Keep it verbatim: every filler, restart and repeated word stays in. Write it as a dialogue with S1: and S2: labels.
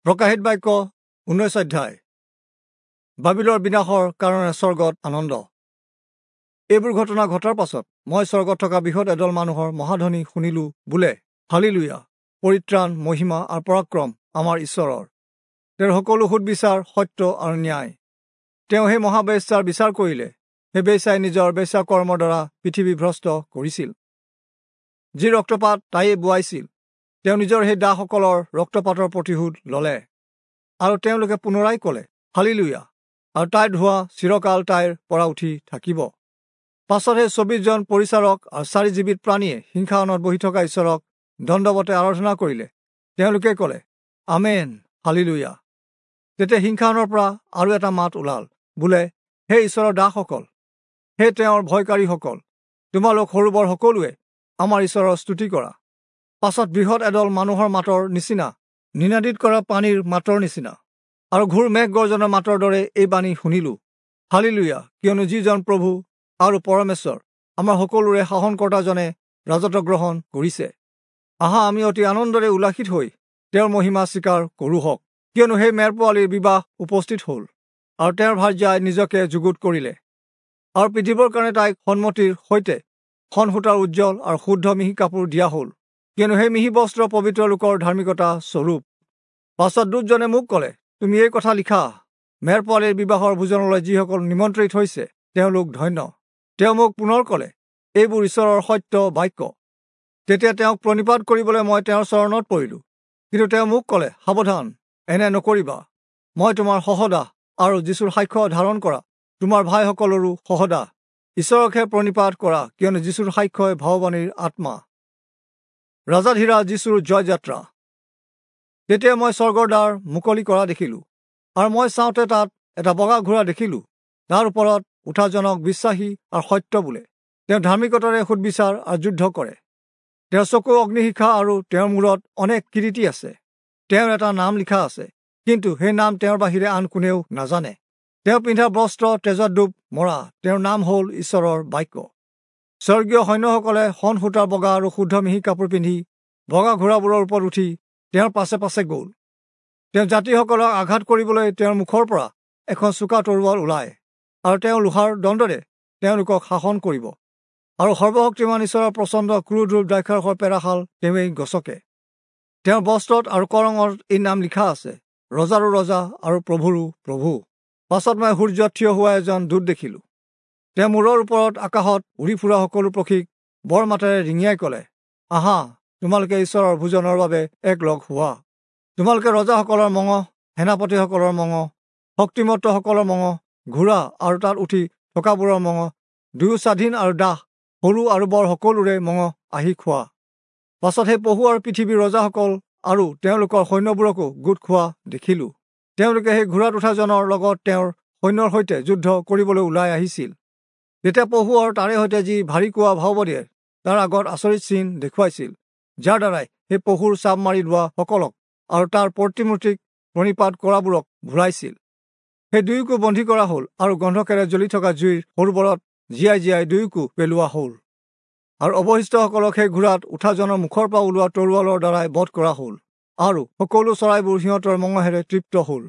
S1: প্ৰকাশিত বাক্য ঊনৈশ অধ্যায়। বাবিলৰ বিনাশৰ কাৰণে স্বৰ্গত আনন্দ। এইবোৰ ঘটনা ঘটাৰ পাছত মই স্বৰ্গত থকা বৃহৎ এদল মানুহৰ মহাধ্বনি শুনিলো, বোলে, হালিলুয়া, পৰিত্ৰাণ, মহিমা আৰু পৰাক্ৰম আমাৰ ঈশ্বৰৰ। তেওঁৰ সকলো সুদবিচাৰ সত্য আৰু ন্যায়। তেওঁ সেই মহাবেশ্যাৰ বিচাৰ কৰিলে, সেই বেশ্যাই নিজৰ বেশ্যা কৰ্মৰ দ্বাৰা পৃথিৱী ভ্ৰষ্ট কৰিছিল। যি ৰক্তপাত তাইয়ে বোৱাইছিল, তেওঁ নিজৰ সেই দাসসকলৰ ৰক্তপাতৰ প্ৰতিশোধ ল'লে। আৰু তেওঁলোকে পুনৰাই ক'লে, হালিলুয়া, আৰু তাইৰ ধোঁৱা চিৰকাল তাইৰ পৰা উঠি থাকিব। পাছত সেই চৌবিশজন পৰিচাৰক আৰু চাৰি জীৱিত প্ৰাণীয়ে সিংহাসনত বহি থকা ঈশ্বৰক দণ্ডৱতে আৰাধনা কৰিলে। তেওঁলোকে ক'লে, আমেন, হালিলুয়া। তেতিয়া সিংহাসনৰ পৰা আৰু এটা মাত ওলাল, বোলে, হে ঈশ্বৰৰ দাসসকল, হে তেওঁৰ ভয়কাৰীসকল, তোমালোক সৰু বৰ সকলোৱে আমাৰ ঈশ্বৰৰ স্তুতি কৰা। পাছত বৃহৎ এদল মানুহৰ মাতৰ নিচিনা, নিনাদিত কৰা পানীৰ মাতৰ নিচিনা, আৰু ঘোৰ মেঘ গৰ্জনৰ মাতৰ দৰে এই বাণী শুনিলোঁ, হালিলুয়া, কিয়নো যিজন প্ৰভু আৰু পৰমেশ্বৰ আমাৰ সকলোৰে শাসনকৰ্তাজনে ৰাজত্ব গ্ৰহণ কৰিছে। আহা, আমি অতি আনন্দৰে উল্লাসিত হৈ তেওঁৰ মহিমা স্বীকাৰ কৰোঁহক, কিয়নো সেই মেৰ পোৱালীৰ বিবাহ উপস্থিত হ'ল, আৰু তেওঁৰ ভাৰ্যাই নিজকে যুগুত কৰিলে, আৰু পিন্ধিবৰ কাৰণে তাইক সন্মতিৰ সৈতে সনসূতাৰ উজ্জ্বল আৰু শুদ্ধ মিহি কাপোৰ দিয়া হ'ল, কিয়নো সেই মিহি বস্ত্ৰ পবিত্ৰ লোকৰ ধাৰ্মিকতা স্বৰূপ। পাছত দূতজনে মোক ক'লে, তুমি এই কথা লিখা, মেৰ পোৱালীৰ বিবাহৰ ভোজনলৈ যিসকল নিমন্ত্ৰিত হৈছে তেওঁলোক ধন্য। তেওঁ মোক পুনৰ ক'লে, এইবোৰ ঈশ্বৰৰ সত্য বাক্য। তেতিয়া তেওঁক প্ৰণিপাত কৰিবলৈ মই তেওঁৰ চৰণত পৰিলোঁ, কিন্তু তেওঁ মোক ক'লে, সাৱধান, এনে নকৰিবা, মই তোমাৰ সহদাহ আৰু যীশুৰ সাক্ষ্য ধাৰণ কৰা তোমাৰ ভাইসকলৰো সহদাহ। ঈশ্বৰকহে প্ৰণিপাত কৰা, কিয়নো যীশুৰ সাক্ষ্যই ভাৱবাণীৰ আত্মা। ৰাজাধীৰা যীশুৰ জয়যাত্ৰা। তেতিয়া মই স্বৰ্গৰ দ্বাৰ মুকলি কৰা দেখিলোঁ, আৰু মই চাওঁতে তাত এটা বগা ঘোঁৰা দেখিলোঁ। তাৰ ওপৰত উঠাজনক বিশ্বাসী আৰু সত্য বোলে। তেওঁ ধাৰ্মিকতাৰে সুদবিচাৰ আৰু যুদ্ধ কৰে। তেওঁৰ চকু অগ্নিশিখা আৰু তেওঁৰ মূৰত অনেক কিৰীটি আছে। তেওঁৰ এটা নাম লিখা আছে, কিন্তু সেই নাম তেওঁৰ বাহিৰে আন কোনেও নাজানে। তেওঁ পিন্ধা বস্ত্ৰ তেজত ডুব মৰা। তেওঁৰ নাম হ'ল ঈশ্বৰৰ বাক্য। স্বৰ্গীয় সৈন্যসকলে সন সূতাৰ বগা আৰু শুদ্ধ মিহি কাপোৰ পিন্ধি বগা ঘোঁৰাবোৰৰ ওপৰত উঠি তেওঁৰ পাছে পাছে গ'ল। তেওঁ জাতিসকলক আঘাত কৰিবলৈ তেওঁৰ মুখৰ পৰা এখন চোকা তৰোৱাল ওলায়, আৰু তেওঁ লোহাৰ দণ্ডৰে তেওঁলোকক শাসন কৰিব। আৰু সৰ্বশক্তিমান ঈশ্বৰৰ প্ৰচণ্ড ক্ৰোধৰূপ দ্ৰাক্ষাৰসৰ পেৰাশাল তেওঁৱেই গছকে। তেওঁৰ বস্ত্ৰত আৰু কৰঙত এই নাম লিখা আছে, ৰজাৰো ৰজা আৰু প্ৰভুৰো প্ৰভু। পাছত মই সূৰ্যত থিয় হোৱা এজন দূত দেখিলোঁ। তেওঁ মূৰৰ ওপৰত আকাশত উৰি ফুৰা সকলো পক্ষীক বৰ মাতেৰে ৰিঙিয়াই ক'লে, আহা, তোমালোকে ঈশ্বৰৰ ভোজনৰ বাবে একলগ হোৱা। তোমালোকে ৰজাসকলৰ মঙহ, সেনাপতিসকলৰ মঙহ, শক্তিমত্তসকলৰ মঙহ, ঘোঁৰা আৰু তাত উঠি থকাবোৰৰ মঙহ, দুয়ো স্বাধীন আৰু দাস, সৰু আৰু বৰ সকলোৰে মঙহ আহি খোৱা। পাছত সেই পহু আৰু পৃথিৱীৰ ৰজাসকল আৰু তেওঁলোকৰ সৈন্যবোৰকো গোট খোৱা দেখিলোঁ। তেওঁলোকে সেই ঘোঁৰাত উঠাজনৰ লগত তেওঁৰ সৈন্যৰ সৈতে যুদ্ধ কৰিবলৈ ওলাই আহিছিল। তেতিয়া পহু আৰু তাৰে সৈতে যি ভাৰী কোৱা ভাওবদিয়ে তাৰ আগত আচৰিত চিন দেখুৱাইছিল, যাৰ দ্বাৰাই সেই পহুৰ চাপ মাৰি লোৱাসকলক আৰু তাৰ প্ৰতিমূৰ্তিক প্ৰণিপাত কৰাবোৰক ভুলাইছিল। সেই দুয়োকো বন্দী কৰা হ'ল আৰু গন্ধকেৰে জ্বলি থকা জুইৰ সৰোবৰত জীয়াই জীয়াই দুয়োকো পেলোৱা হ'ল। আৰু অৱশিষ্টসকলক সেই ঘোঁৰাত উঠাজনৰ মুখৰ পৰা ওলোৱা তৰোৱালৰ দ্বাৰাই বধ কৰা হ'ল, আৰু সকলো চৰাইবোৰ সিহঁতৰ মঙহেৰে তৃপ্ত হ'ল।